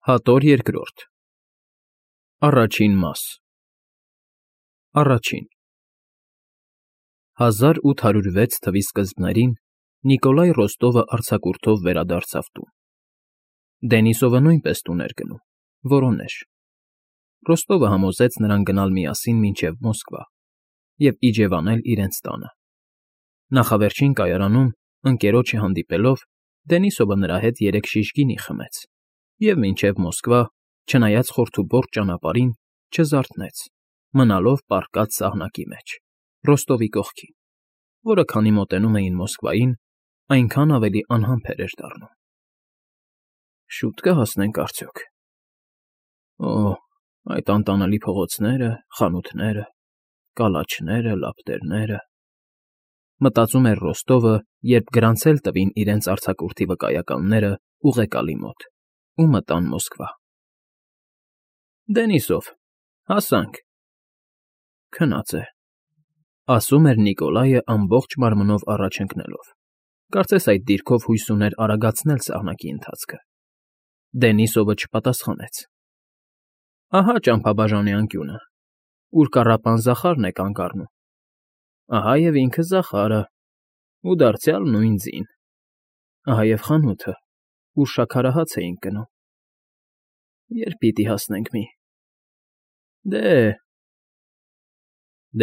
Հատոր երկրորդ Առաջին մաս Առաջին 1806 թվականի սկզբներին Նիկոլայ Ռոստովը արձակուրդով վերադարձավ տուն։ Դենիսովը նույնպես տուն էր գնում, որոնեժ։ Ռոստովը համոզեց նրան գնալ միասին մինչև Մոսկվա և իջևանել իրենց տանը։ Նախավերջին կայարանում, ընկերոջը հանդիպելով, Դենիսովը նրա հետ 3 շիշ գինի խմեց և մինչև Մոսկվա, չնայած խորթուբորտ ճանապարհին, չզարթնեց, մնալով պառկած սահնակի մեջ, Ռոստովի կողքին, որը քանի մոտենում էին Մոսկվային, այնքան ավելի անհամբեր էր դառնում։ Շուտ կհասնենք արդյոք։ Այդ անտանելի փողոցները, խանութները, կալաչները, լապտերները… Մտածում էր Ռոստովը, երբ գրանցել տվին իրենց արձակուրդի վկայականները ուղեկալի մոտ ու մտան Մոսկվա։ Դենիսով, հասանք։ Քնած է, ասում էր Նիկոլայը ամբողջ մարմնով առաջ ընկնելով, կարծես այդ դիրքով հույս ուներ արագացնել սահնակի ընթացքը։ Դենիսովը չպատասխանեց։ Ահա ճամփաբաժանի անկյունը, ուր կառապան Զախարն է կանգ առնում։ Ահա և ինքը Զախարը, ու դարձյալ նույն ձին։ Ահա և խանութը, ուր շաքարահաց էինք գնում։ Երբ պիտի հասնենք մի…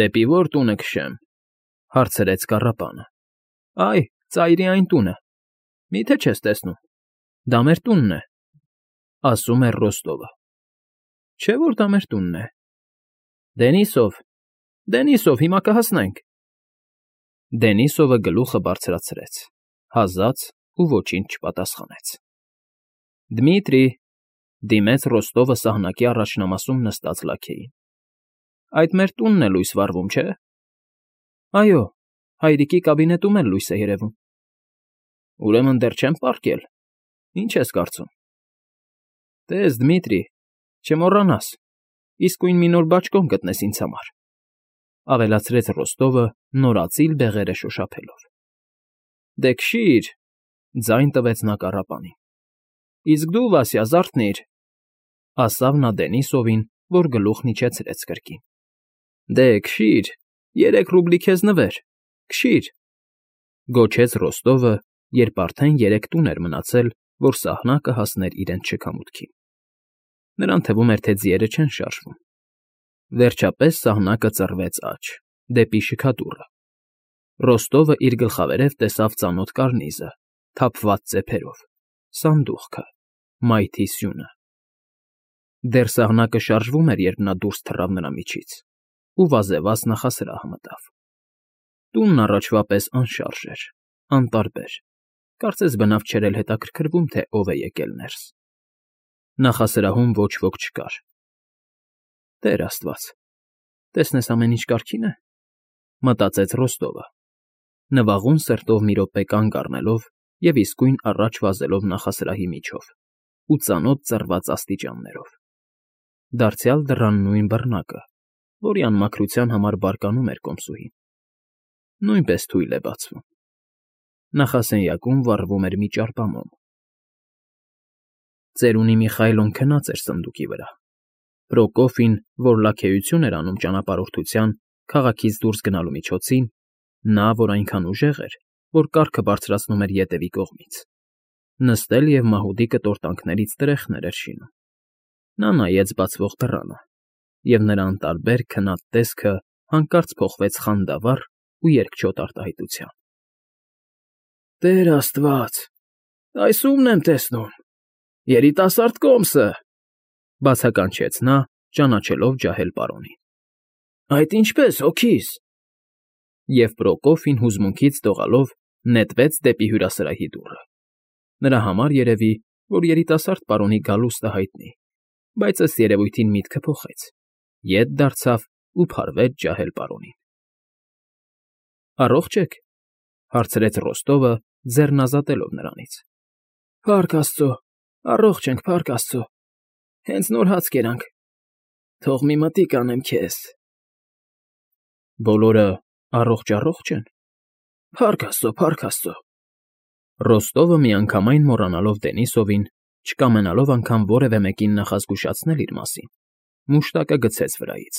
Դեպի ո՞ր տունը քշեմ,֊ հարցրեց կառապանը։ Այ, ծայրի այն տունը, մի՞թե չես տեսնում, դա մեր տունն է, ասում էր Ռոստովը։ Չէ՞ որ դա մեր տունն է։ Դենիսով, հիմա կհասնենք։ Դենիսովը գլուխը բարձրացրեց, հազաց ու ոչինչ չպատասխանեց։ Դմիտրի,֊ դիմեց Ռոստովը սահնակի առաջնամասում նստած լաքեին։ Այդ մեր տունն է լույս վառվում, չէ՞։ Այո, հայրիկի կաբինետում էլ լույս է երևում։ Ուրեմն դեռ չեմ պառկել, ինչ ես կարծում։ Տես, Դմիտրի, չմոռանաս, իսկույն մի նոր բաճկոն գտնես ինձ համար,֊ ավելացրեց Ռոստովը նորածիլ բեղերը շոշափելով։ Դե քշի՛ր,֊ ձայն տվեց նա կառապանին։ Իսկ դու, Վասյա, զարթնի՛ր,֊ ասավ նա Դենիսովին, որ գլուխն իջեցրեց կրկին։ Դե քշի՛ր, 3 ռուբլի քեզ նվեր, քշի՛ր,֊ գոչեց Ռոստովը, երբ արդեն 3 տուն էր մնացել, որ սահնակը հասներ իրենց շքամուտքին։ Նրան թվում էր, թե ձիերը չեն շարժվում։ Վերջապես սահնակը ծռվեց աջ, դեպի շքադուռը։ Ռոստովը իր գլխավերև տեսավ ծանոթ կարնիզը, թափված ծեփերով, սանդուղքը, մայթի սյունը։ Դեռ սահնակը շարժվում էր, երբ նա դուրս թռավ նրա միջից ու վազեվազ նախասրահ մտավ։ Տունն առաջվա պես անշարժ էր, անտարբեր, կարծես բնավ չէր էլ հետաքրքրվում, թե ով է եկել ներս։ Նախասրահում ոչ ոք չկար։ Տեր Աստված, տեսնես ամեն ինչ կարգին է,֊ մտածեց Ռոստովը, նվաղուն սրտով մի րոպե կանգ առնելով և իսկույն առաջ վազելով նախասրահի միջով ու ծանոթ ծռված աստիճաններով։ Դարձյալ դռան նույն բռնակը, որի անմաքրության համար բարկանում էր կոմսուհին, նույնպես թույլ է բացվում։ Նախասենյակում վառվում էր մի ճարպամոմ։ Ծերունի Միխայլոն քնած էր սնդուկի վրա։ Պրոկոֆին, որ լաքեություն էր անում ճանապարհորդության, քաղաքից դուրս գնալու միջոցին, նա, որ այնքան ուժեղ էր, որ կառքը բարձրացնում էր ետևի կողմից, նստել և մահուդի կտորտանքներից տրեխներ էր շինում։ Նա նայեց բացվող դռանը, և նրա անտարբեր քնած տեսքը հանկարծ փոխվեց խանդավառ ու երկչոտ արտահայտության։ Տեր Աստված, այս ո՞ւմն եմ տեսնում, երիտասարդ կոմսը,֊ բացականչեց նա, ճանաչելով ջահել պարոնին։ Այդ ինչպե՞ս, հոգիս։ Եվ Պրոկոֆին հուզմունքից դողալով նետվեց դեպի հյուրասրահի դուռը։ Նրա համար երևի, որ երիտասարդ պարոնի գալուստը հայտնի, բայց ըստ երևույթին միտքը փոխեց, ետ դարձավ ու փարվեց ջահել պարոնին։ Առողջ ե՞ք,֊ հարցրեց Ռոստովը, ձեռն ազատելով նրանից։ Փառք Աստծո, առողջ ենք, փառք Աստծո, հենց նոր հաց կերանք, թող մի մտիկ անեմ քեզ։ Բոլորը առողջ են։ Փառք Աստծո, փառք Աստծո։ Ռոստովը միանգամայն մոռանալով Դենիսովին, Չկամենալով անգամ որևէ մեկին նախազգուշացնել իր մասին, մուշտակը գցեց վրայից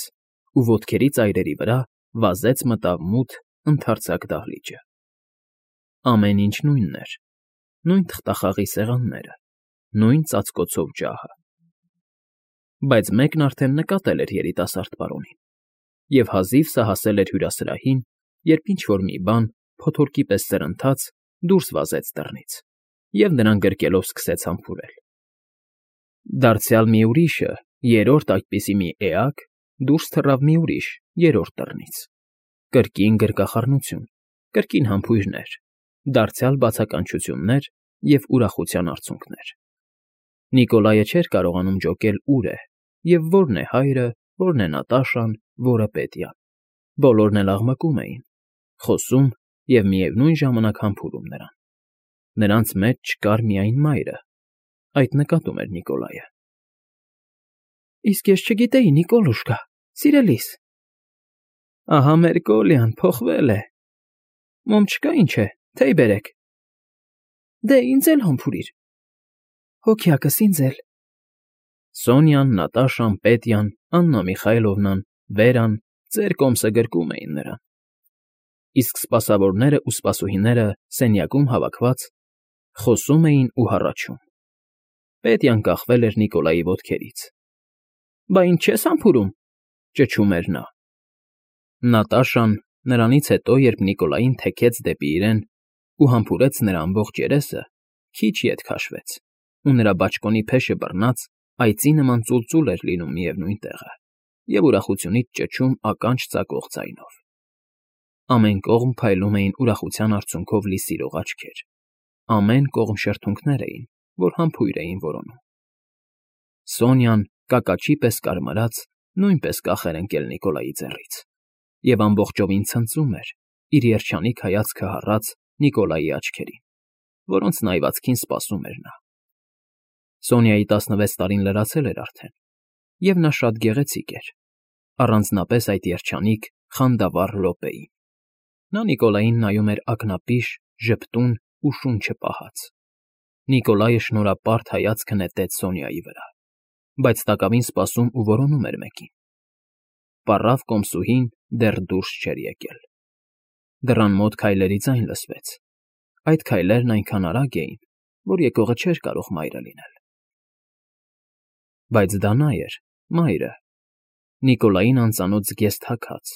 ու ոտքերի ծայրերի վրա վազեց մտավ մութ, ընդարձակ դահլիճը։ Ամեն ինչ նույնն էր, նույն թղթախաղի սեղանները, նույն ծածկոցով ջահը։ Բայց մեկն արդեն նկատել էր երիտասարդ պարոնին և հազիվ սա հասել էր հյուրասրահին, երբ ինչ֊որ մի բան, փոթորկի պես սրընթաց, դուրս վազեց դռնից և նրան գրկելով սկսեց համբուրել։ Դարձյալ մի ուրիշը, երրորդ այդպիսի մի էակ, դուրս թռավ մի ուրիշ, երրորդ դռնից։ Կրկին գրկախառնություն, կրկին համբույրներ, դարձյալ բացականչություններ և ուրախության արցունքներ։ Նիկոլայը չէր կարողանում ջոկել ուր է և որն է հայրը, որն է Նատաշան, որը Պետյան։ Բոլորն էլ աղմկում էին, խոսում և միևնույն ժամանակ համբուրում նրան։ Նրանց մեջ չկար միայն մայրը, այդ նկատում էր Նիկոլայը։ Իսկ ես չգիտեի, Նիկոլուշկա, սիրելիս։ Ահա մեր Կոլյան փոխվել է։ Մոմ չկա, ինչ է, թեյ բերեք։ Դե ինձ էլ համբուրիր։ Հոգյակս ինձ էլ։ Սոնյան, Նատաշան, Պետյան, Աննա Միխայլովնան, Վերան ծեր կոմսը գրկում էին նրան։ Իսկ սպասավորներն ու սպասուհիները սենյակում հավաքված խոսում էին ու հառաչում։ Պետյան կախվել էր Նիկոլայի ոտքերից։ Բա ինձ չես համբուրում, ճչում էր նա։ Նատաշան նրանից հետո, երբ Նիկոլային թեքեց դեպի իրեն ու համբուրեց նրա ամբողջ երեսը, քիչ ետ քաշվեց, ու նրա բաճկոնի փեշը բռնած այծի նման ծուլծուլ էր լինում միևնույն տեղը և ուրախությունից ճչում ականջ ծակող ձայնով։ Ամեն կողմ փայլում էին ուրախության արցունքով լի սիրող աչքեր, ամեն կողմ շրթունքներ էին, որ համբույր էին որոնում։ Սոնյան, կակաչի պես կարմրած, նույնպես կախ էր ընկել Նիկոլայի ձեռից և ամբողջովին ցնծում էր, իր երջանիկ հայացքը հառած Նիկոլայի աչքերին, որոնց նայվածքին սպասում էր նա։ Սոնյայի 16 տարին լրացել էր արդեն, և նա շատ գեղեցիկ էր, առանձնապես այդ երջանիկ, խանդավառ րոպեին։ Նա Նիկոլային նայում էր ակնապիշ, ժպտուն ու շունչը պահած։ Նիկոլայը շնորհապարտ հայացքը նետեց Սոնյայի վրա, բայց տակավին սպասում ու որոնում էր մեկին։ Պառավ կոմսուհին դեռ դուրս չէր եկել։ Դռան մոտ քայլերի ձայն լսվեց։ Այդ քայլերն այնքան արագ էին, որ եկողը չէր կարող մայրը լինել։ Բայց դա նա էր, մայրը։ Նիկոլային անծանոթ զգեստ հագած։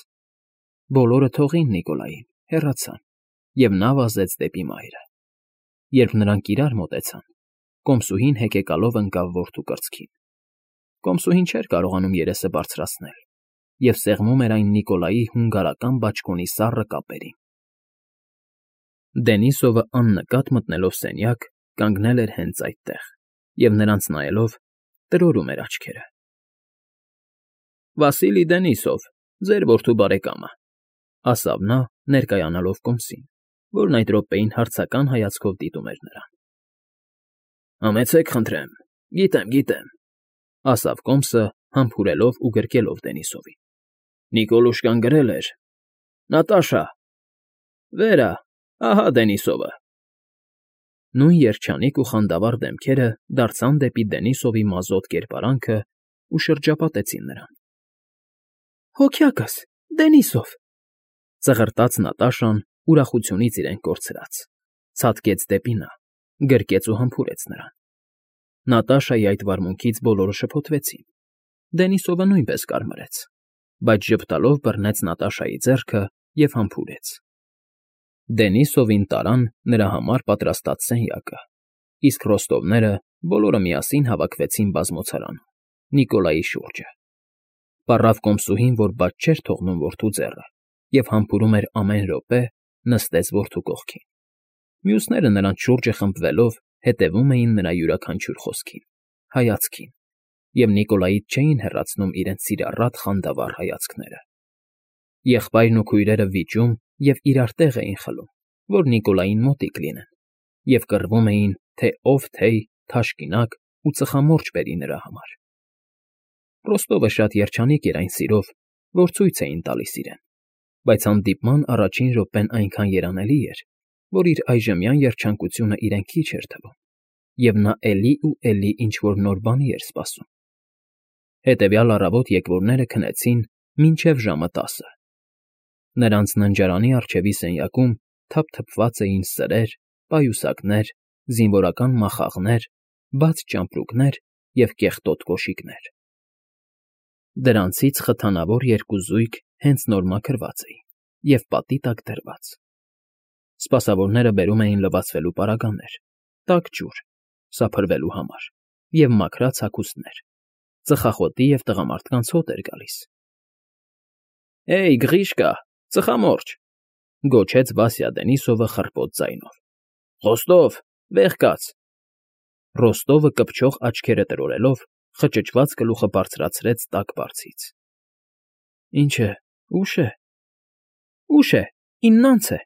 Բոլորը թողին Նիկոլային, հեռացան, և նա վազեց դեպի մայրը։ Երբ նրանք իրար մոտեցան, կոմսուհին հեկեկալով ընկավ որդու կրծքին։ Կոմսուհին չէր կարողանում երեսը բարձրացնել և սեղմում էր այն Նիկոլայի հունգարական բաճկոնի սառը կապերին։ Դենիսովը աննկատ մտնելով սենյակ, կանգնել էր հենց այդտեղ և նրանց նայելով տրորում էր աչքերը։ Վասիլի Դենիսով, ձեր որդու բարեկամը, ասավ նա, ներկայանալով կոմսին, որն այդ րոպեին հարցական հայացքով դիտում էր նրան։ Համեցեք, խնդրեմ, գիտեմ, ասավ կոմսը, համբուրելով ու գրկելով Դենիսովին։ Նիկոլուշկան գրել էր. Նատաշա։ Վերա, ահա Դենիսովը։ Նույն երջանիկ ու խանդավառ դեմքերը դարձան դեպի Դենիսովի մազոտ կերպարանքն ու շրջապատեցին նրան։ Հոգյակս, Դենիսով, ծղրտաց Նատաշան ուրախությունից իրեն կորցրած, ցատկեց դեպի նա, գրկեց ու համբուրեց նրան։ Նատաշայի այդ վարմունքից բոլորը շփոթվեցին։ Դենիսովը նույնպես կարմրեց, բայց ժպտալով բռնեց Նատաշայի ձեռքը և համբուրեց։ Դենիսովին տարան նրա համար պատրաստած սենյակը, իսկ ռոստովները բոլորը միասին հավաքվեցին բազմոցարանում, Նիկոլայի շուրջը։ Պառավ կոմսուհին, որ բաց չէր թողնում որդու ձեռը և համբուրում էր ամեն րոպե, նստեց որդու կողքին։ Մյուսները նրանց շուրջը խմբվելով հետևում էին նրա յուրաքանչյուր խոսքին, հայացքին, և Նիկոլայից չէին հեռացնում իրենց սիրառատ խանդավառ հայացքները։ Եղբայրն ու քույրերը վիճում և իրար տեղ էին խլում, որ Նիկոլային մոտիկ լինեն, և կռվում էին, թե ով թեյ, թաշկինակ ու ծխամորճ բերի նրա համար։ Ռոստովը շատ երջանիկ էր այն սիրով, որ ցույց էին տալիս իրեն, բայց հանդիպման առաջին րոպեն այնքան երանելի էր, որ իր այժմյան երջանկությունը իրեն քիչ էր թվում, և նա էլի ու էլի ինչ-որ նոր բանի էր սպասում։ Հետևյալ առավոտ եկվորները քնեցին մինչև ժամը 10-ը։ Նրանց ննջարանի առջևի սենյակում թափթփված էին սրեր, պայուսակներ, զինվորական մախաղներ, բաց ճամպրուկներ և կեղտոտ կոշիկներ։ Դրանցից խթանավոր երկու զույգ հենց նոր մաքրված էին և պատի տակ դրված։ Սպասավորները բերում էին լվացվելու պարագաներ, տաք ջուր, սափրվելու համար և մաքրած հագուստներ, ծխախոտի և տղամարդկանց հոտ էր գալիս։ «Հեյ, Գրիշկա, ծխամորճ», գոչեց Վասյա Դենիսովը խռպոտ ձայնով։ «Խոստով, վեր կաց»։ Ռոստովը կպչող աչքերը տրորելով խճճված գլուխը բարձրացրեց տաք բարձից։ «Ինչ է, ուշ է»։ «Ուշ է, 9:00 է»,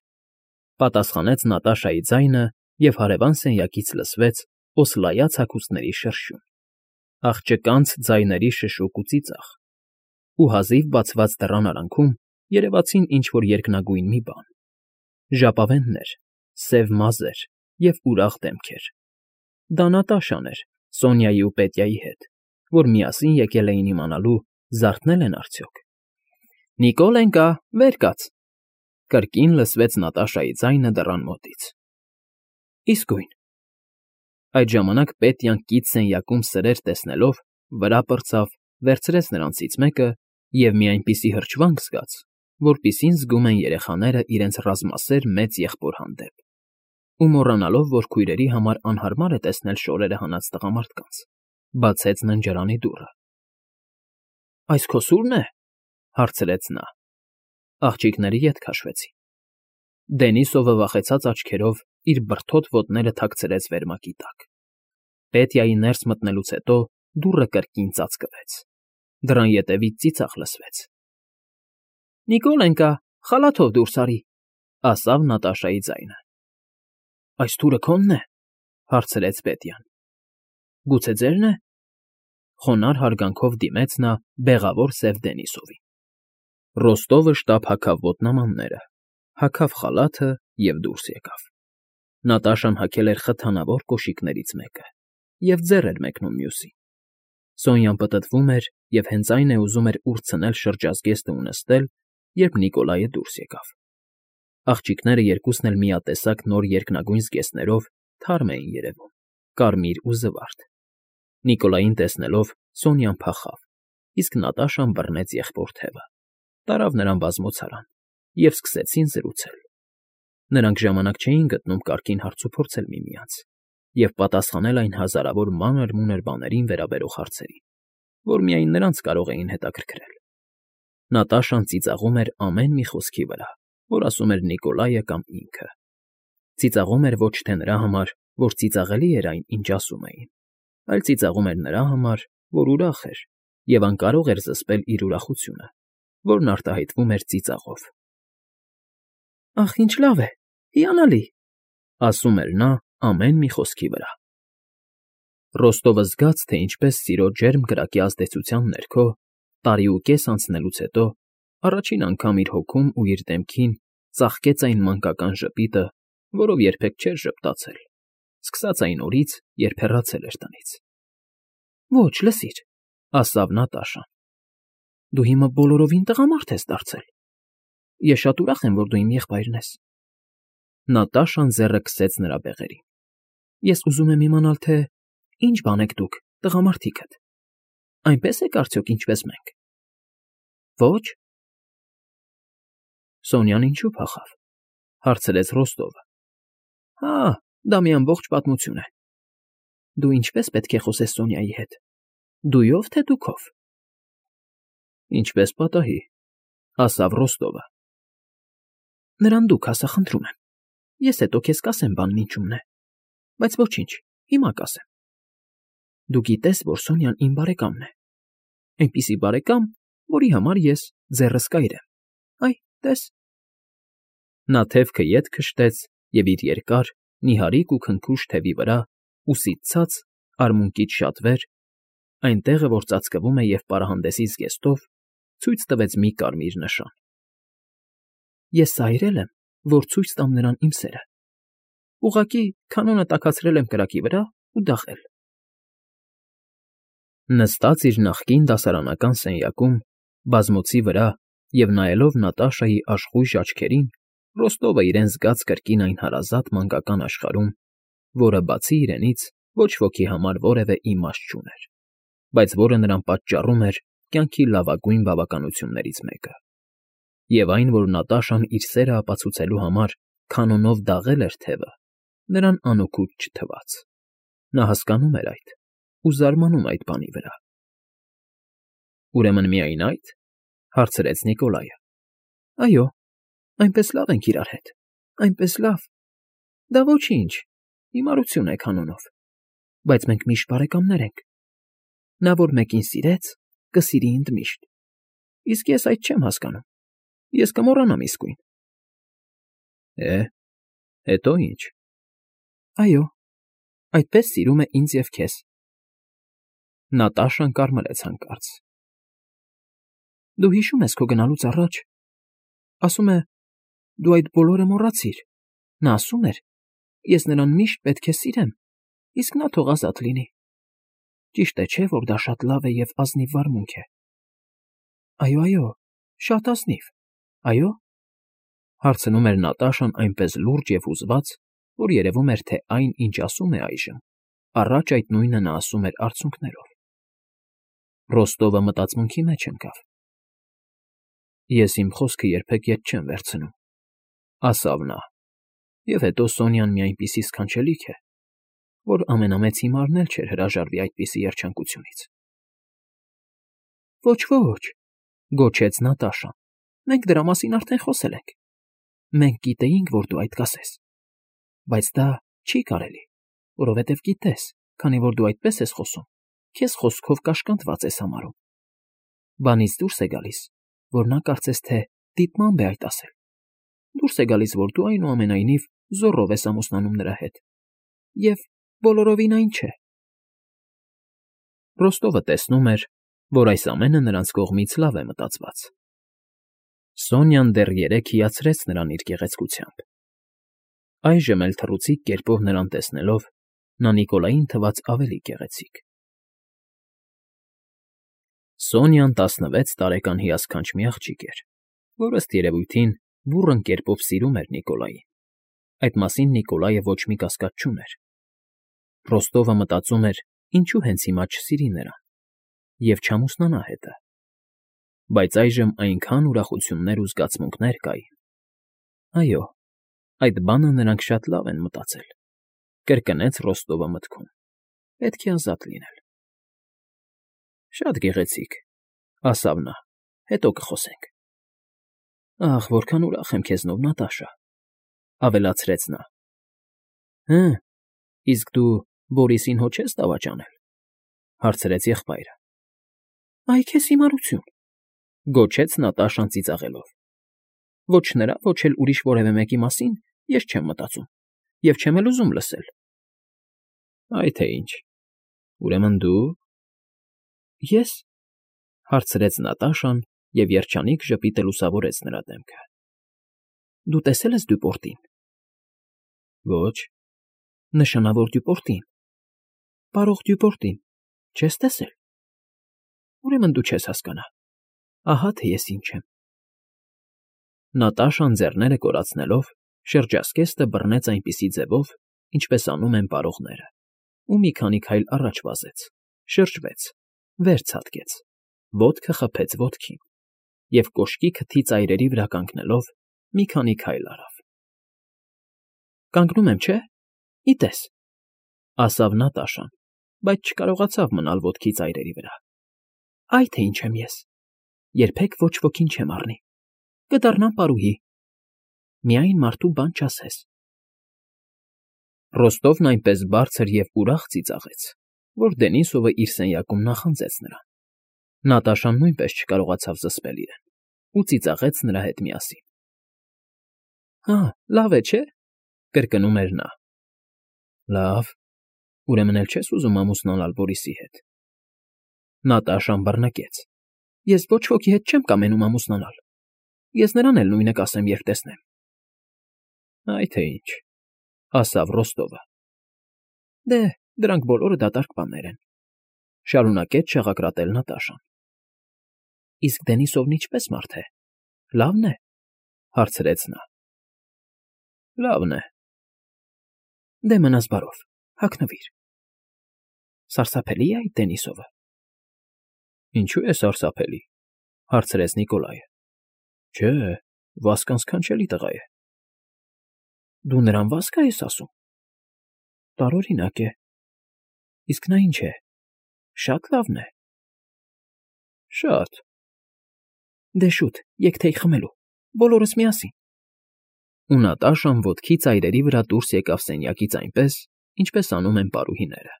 պատասխանեց Նատաշայի ձայնը, և հարևան սենյակից լսվեց օսլայած հագուստների շրշյուն, աղջկանց ձայների շշուկ ու ծիծաղ, ու հազիվ բացված դռան արանքում երևացին ինչ֊որ երկնագույն մի բան՝ ժապավեններ, սև մազեր և ուրախ դեմքեր։ Դա Նատաշան էր Սոնյայի ու Պետյայի հետ, որ միասին եկել էին իմանալու՝ զարթնե՞լ են արդյոք։ «Նիկոլենկա, վեր կաց», կրկին լսվեց Նատաշայի ձայնը դռան մոտից։ Իսկույն։ Այդ ժամանակ Պետյան կից սենյակում սրեր տեսնելով վրա պրծավ, վերցրեց նրանցից մեկը և մի այնպիսի հրճվանք զգաց, որպիսին զգում են երեխաները իրենց ռազմասեր մեծ եղբոր հանդեպ, ու մոռանալով, որ քույրերի համար անհարմար է տեսնել շորերը հանած տղամարդկանց, բացեց ննջարանի դուռը։ «Այս քո սուրն է,֊ հարցրեց նա։ Աղջիկները ետ քաշվեցին։ Դենիսովը վախեցած աչքերով իր բրդոտ ոտները թաքցրեց վերմակի տակ։ Պետյայի ներս մտնելուց հետո դուռը կրկին ծածկվեց։ Դռան ետևից ծիծաղ լսվեց։ «Նիկոլենկա, խալաթով դուրս արի», ասավ Նատաշայի ձայնը։ «Այս թուրը քո՞նն է,֊ հարցրեց Պետյան։ Գուցե ձե՞րն է,֊ խոնարհ հարգանքով դիմեց նա բեղավոր սև Դենիսովին։ Ռոստովը շտապ հագավ ոտնամանները, հագավ խալաթը և դուրս եկավ։ Նատաշան հագել էր խթանավոր կոշիկներից մեկը և ձեռ էր մեկնում մյուսին։ Սոնյան պտտվում էր և հենց այն է ուզում էր ուրցնել շրջազգեստը ու նստել, երբ Նիկոլայը դուրս եկավ։ Աղջիկները երկուսն էլ միատեսակ նոր երկնագույն զգեստներով թարմ էին երևում, կարմիր ու զվարթ։ Նիկոլային տեսնելով Սոնյան փախավ, իսկ Նատաշան բռնեց եղբոր թևը, տարավ նրան բազմոցարան, և սկսեցին զրուցել։ Նրանք ժամանակ չէին գտնում կարգին հարցուփորձել միմյանց և պատասխանել այն հազարավոր մանր֊մունր բաներին վերաբերող հարցերին, որ միայն նրանց կարող էին հետաքրքրել։ Նատաշան ծիծաղում էր ամեն մի խոսքի վրա, որ ասում էր Նիկոլայը կամ ինքը։ Ծիծաղում էր ոչ թե նրա համար, որ ծիծաղելի էր այն, ինչ ասում էին, այլ ծիծաղում էր նրա համար, որ ուրախ էր և անկարող էր զսպել իր ուրախությունը, որն արտահայտվում էր ծիծաղով։ «Ախ, ինչ լավ է, հիանալի,֊ ասում էր նա ամեն մի խոսքի վրա։ Ռոստովը զգաց, թե ինչպես սիրո ջերմ կրակի ազդեցության ներքո, տարիուկես անցնելուց հետո, առաջին անգամ իր հոգում ու իր դեմքին ծաղկեց այն մանկական ժպիտը, որով երբեք չէր ժպտացել, սկսած այն օրից, երբ հեռացել էր տնից։ «Ոչ, լսիր,֊ ասավ Նատաշան,֊ դու հիմա բոլորովին տղամարդ ես դարձել։ Ես շատ ուրախ եմ, որ դու իմ եղբայրն ես»։ Նատաշան ձեռը քսեց նրա բեղերին։ «Ես ուզում եմ իմանալ, թե ինչ բան եք դուք, տղամարդիկդ։ Այնպե՞ս եք արդյոք, ինչպես մենք»։ «Ոչ»։ «Սոնյան ինչու՞ փախավ,֊ հարցրեց Ռոստովը։ «Հա, դա մի ամբողջ պատմություն է։ Դու ինչպե՞ս պետք է խոսես Սոնյայի հետ, դույո՞վ, թե դուքով»։ «Ինչպես պատահի,֊ ասավ Ռոստովը։ Նրան դուք ասա, խնդրում եմ, ես հետո քեզ կասեմ բանն ինչումն է, բայց ոչինչ, հիմա կասեմ։ Դու գիտես, որ Սոնյան իմ բարեկամն է, այնպիսի բարեկամ, որի համար ես ձեռս կայր եմ, այ, տես։ Նա թևքը ետ քշտեց և իր երկար, նիհարիկ ու քնքուշ թևի վրա, ուսից ցած, արմունկից շատ վեր, այն տեղը, որ ծածկվում է և պարահանդեսի զգեստով, ցույց տվեց մի կարմիր նշան։ Ես սա այրել եմ, որ ցույց տամ նրան իմ սերը։ Ուղղակի կանոնը տաքացրել եմ կրակի վրա ու դաղել։ Նստած իր նախկին դասարանական սենյակում, բազմոցի վրա և նայելով Նատաշայի աշխույժ աչքերին, Ռոստովը իրեն զգաց կրկին այն հարազատ մանկական աշխարհում, որը բացի իրենից ոչ ոքի համար որևէ իմաստ չուներ, բայց որը նրան պատճառում էր կյանքի լավագույն բավականություններից մեկը։ Եվ այն, որ Նատաշան իր սերը ապացուցելու համար քանոնով դաղել էր թևը, նրան անօգուտ չթվաց։ Նա հասկանում էր այդ ու զարմանում այդ բանի վրա։ Ուրեմն միայն այդ, հարցրեց Նիկոլայը։ Այո, այնպես լավ ենք իրար հետ, այնպես լավ։ Դա ոչինչ, հիմարություն է քանոնով, բայց մենք միշտ բարեկամներ ենք։ Նա, որ մեկին սիրեց, կսիրի ընդմիշտ։ Իսկ ես այդ չեմ հասկանում։ Ես կմոռանամ իսկույն։ Հետո ինչ։ Այո, այդպես սիրում է ինձ և քեզ։ Նատաշան կարմրեց հանկարծ։ Դու հիշում ես քո գնալուց առաջ, ասում է, դու այդ բոլորը մոռացիր։ Նա ասում էր, ես նրան միշտ պետք է սիրեմ, իսկ նա թող ազատ լինի։ Ճիշտ է, չէ՞, որ դա շատ լավ է և ազնիվ վարմունք է։ Այո, շատ ազնիվ, այո, հարցնում էր Նատաշան այնպես լուրջ և հուզված, որ երևում էր, թե այն, ինչ ասում է այժմ, առաջ այդ նույնը նա ասում էր արցունքներով։ Ռոստովը մտածմունքի մեջ ընկավ։ Ես իմ խոսքը երբեք ետ չեմ վերցնում, ասավ նա, և հետո Սոնյան մի այնպիսի սքանչելիք է, որ ամենամեծ հիմարն էլ չէր հրաժարվի այդպիսի երջանկությունից։ Ոչ, գոչեց Նատաշան, մենք դրա մասին արդեն խոսել ենք։ Մենք գիտեինք, որ դու այդ կասես։ Բայց դա չի կարելի, որովհետև գիտես, քանի որ դու այդպես ես խոսում, քեզ խոսքով կաշկանդված ես համարում։ Բանից դուրս է գալիս, որ նա կարծես թե դիտմամբ է այդ ասել։ Դուրս է գալիս, որ դու այնուամենայնիվ զոռով ես ամուսնանում նրա հետ։ Եվ բոլորովին այն չէ։ Ռոստովը տեսնում էր, որ այս ամենը նրանց կողմից լավ է մտածված։ Սոնյան դեռ երեկ հիացրեց նրան իր գեղեցկությամբ։ Այժմ էլ թռուցիկ կերպով նրան տեսնելով, նա Նիկոլային թվաց ավելի գեղեցիկ։ Սոնյան 16 տարեկան հիասքանչ մի աղջիկ էր, որ ըստ երևույթին բուռն կերպով սիրում էր Նիկոլային։ Այդ մասին Նիկոլայը ոչ մի կասկած չուներ։ Ռոստովը մտածում էր, ինչու հենց հիմա չսիրի նրան և չամուսնանա հետը։ Բայց այժմ այնքան ուրախություններ ու զգացմունքներ կային։ Այո, այդ բանը նրանք շատ լավ են մտածել, կրկնեց Ռոստովը մտքում։ Պետք է ազատ լինել։ Շատ գեղեցիկ, ասավ նա, հետո կխոսենք։ Ախ, որքան ուրախ եմ քեզնով, Նատաշա, ավելացրեց նա։ Իսկ դու Բորիսին հո չես դավաճանել, հարցրեց եղբայրը։ Այ քեզ հիմարություն, գոչեց Նատաշան ծիծաղելով։ Ոչ նրա, ոչ էլ ուրիշ որևէ մեկի մասին ես չեմ մտածում և չեմ էլ ուզում լսել։ Այ թե ինչ, ուրեմն դու… Ես… հարցրեց Նատաշան և երջանիկ ժպիտը լուսավորեց նրա դեմքը։ Դու տեսել ես Դյուպորտին։ Ոչ, նշանավոր Դյուպորտին, պարող Դյուպորտին, չես տեսել։ Ուրեմն դու չես հասկանա։ Ահա թե ես ինչ եմ։ Նատաշան ձեռները կորացնելով շրջազգեստը բռնեց այնպիսի ձևով, ինչպես անում են պարողները, ու մի քանի քայլ առաջ վազեց, շրջվեց, վեր ցատկեց, ոտքը խփեց ոտքին և կոշկի քթի ծայրերի վրա կանգնելով մի քանի քայլ արավ։ Կանգնում եմ, չէ՞, ի տես, ասավ Նատաշան, բայց չկարողացավ մնալ ոտքի ծայրերի վրա։ Այ թե ինչ եմ ես, երբեք ոչ ոքին չեմ առնի, կդառնամ պարուհի, միայն մարդու բան չասես։ Ռոստովն այնպես բարձր և ուրախ ծիծաղեց, որ Դենիսովը իր սենյակում նախանձեց նրան։ Նատաշան նույնպես չկարողացավ զսպել իրեն ու ծիծաղեց նրա հետ միասին։ Հա, լավ է, չէ՞, կրկնում էր նա։ Լավ, ուրեմն էլ չես ուզում ամուսնանալ Բորիսի հետ։ Նատաշան բռնկեց։ Ես ոչ ոքի հետ չեմ կամենում ամուսնանալ։ Ես նրան էլ նույնը կասեմ, երբ տեսնեմ։ Այ թե ինչ, ասավ Ռոստովը։ Դե, Դրանք բոլորը դատարկ բաներ են,֊ շարունակեց շաղակրատել Նատաշան։ ֊ Իսկ Դենիսովն ինչպե՞ս մարդ է, լավն է,֊ հարցրեց նա։ ֊ Լավն է։ ֊ Դե մնաս բարով, հագնվիր։ ֊ Սարսափելի՞ է այդ Դենիսովը։ ֊ Ինչո՞ւ է սարսափելի,֊ հարցրեց Նիկոլայը։ ֊ Չէ, վասկան սքանչելի տղա է։ ֊ Դու նրան վասկ ես ասում։ ֊ Տարօրինակ է։ Իսկ նա ինչ է, շատ լավն է։ ֊ Շատ։ ֊ Դե շուտ, եկ թեյ խմելու, բոլորս միասին։ Ու Նատաշան ոտքի ծայրերի վրա դուրս եկավ սենյակից այնպես, ինչպես անում են պարուհիները,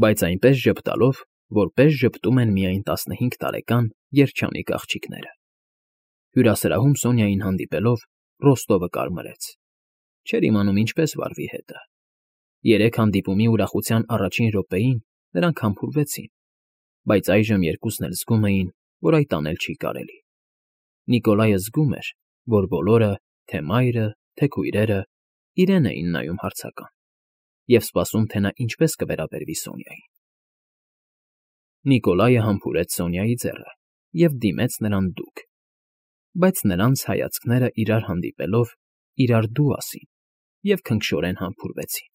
բայց այնպես ժպտալով, որպես ժպտում են միայն 15 տարեկան երջանիկ աղջիկները։ Հյուրասրահում Սոնյային հանդիպելով Ռոստովը կարմրեց։ Չէր իմանում ինչպես վարվի հետը։ Երեք հանդիպումի ուրախության առաջին րոպեին նրանք համբուրվեցին, բայց այժմ երկուսն էլ զգում էին, որ այդ անել չի կարելի։ Նիկոլայը զգում էր, որ բոլորը, թե մայրը, թե քույրերը, իրեն էին նայում հարցական և սպասում, թե նա ինչպես կվերաբերվի Սոնյային։ Նիկոլայը համբուրեց Սոնյայի ձեռը և դիմեց նրան դուք, բայց նրանց հայացքները իրար հանդիպելով իրար դու ասին և քնքշորեն համբուրվեցին։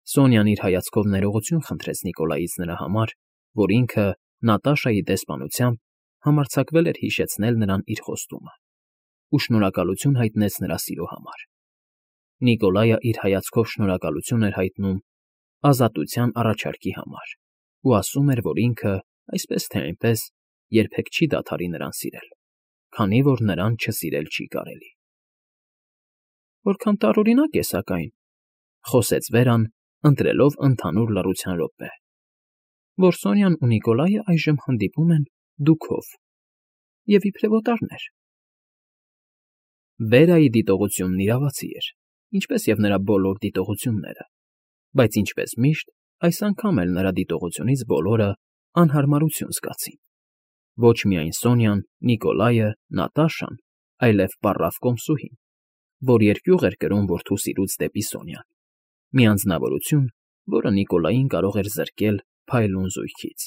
Սոնյան իր հայացքով ներողություն խնդրեց Նիկոլայից նրա համար, որ ինքը Նատաշայի դեսպանությամբ համարձակվել էր հիշեցնել նրան իր խոստումը ու շնորհակալություն հայտնեց նրա սիրո համար։ Նիկոլայը իր հայացքով շնորհակալություն էր հայտնում ազատության առաջարկի համար ու ասում էր, որ ինքը, այսպես թե այնպես, երբեք չի դադարի նրան սիրել, քանի որ նրան չսիրել չի կարելի։ ֊ Որքան տարօրինակ է, սակայն,֊ խոսեց Վերան, ընտրելով ընդհանուր լռության րոպե,֊ որ Սոնյան ու Նիկոլայը այժմ հանդիպում են դուքով և իբրև օտարներ։ Վերայի դիտողությունն իրավացի էր, ինչպես և նրա բոլոր դիտողությունները, բայց ինչպես միշտ, այս անգամ էլ նրա դիտողությունից բոլորը անհարմարություն զգացին։ Ոչ միայն Սոնյան, Նիկոլայը, Նատաշան, այլև պառավ կոմսուհին, որ երկյուղ էր կրում որդու սիրուց դեպի Սոնյան, մի անձնավորություն, որը Նիկոլային կարող էր զրկել փայլուն զույգից։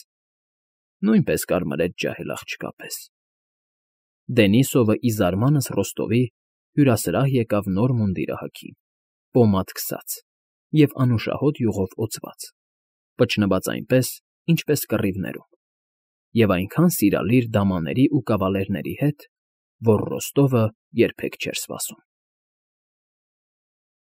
Նույնպես կարմրեց ջահել աղջկա պես։ Դենիսովը ի զարմանս Ռոստովի հյուրասրահ եկավ նոր մունդիրը հագին, պոմադ քսած և անուշահոտ յուղով օծված, պճնված այնպես, ինչպես կռիվներում, և այնքան սիրալիր դամաների ու կավալերների հետ, որ Ռոստովը երբեք չէր սպասում։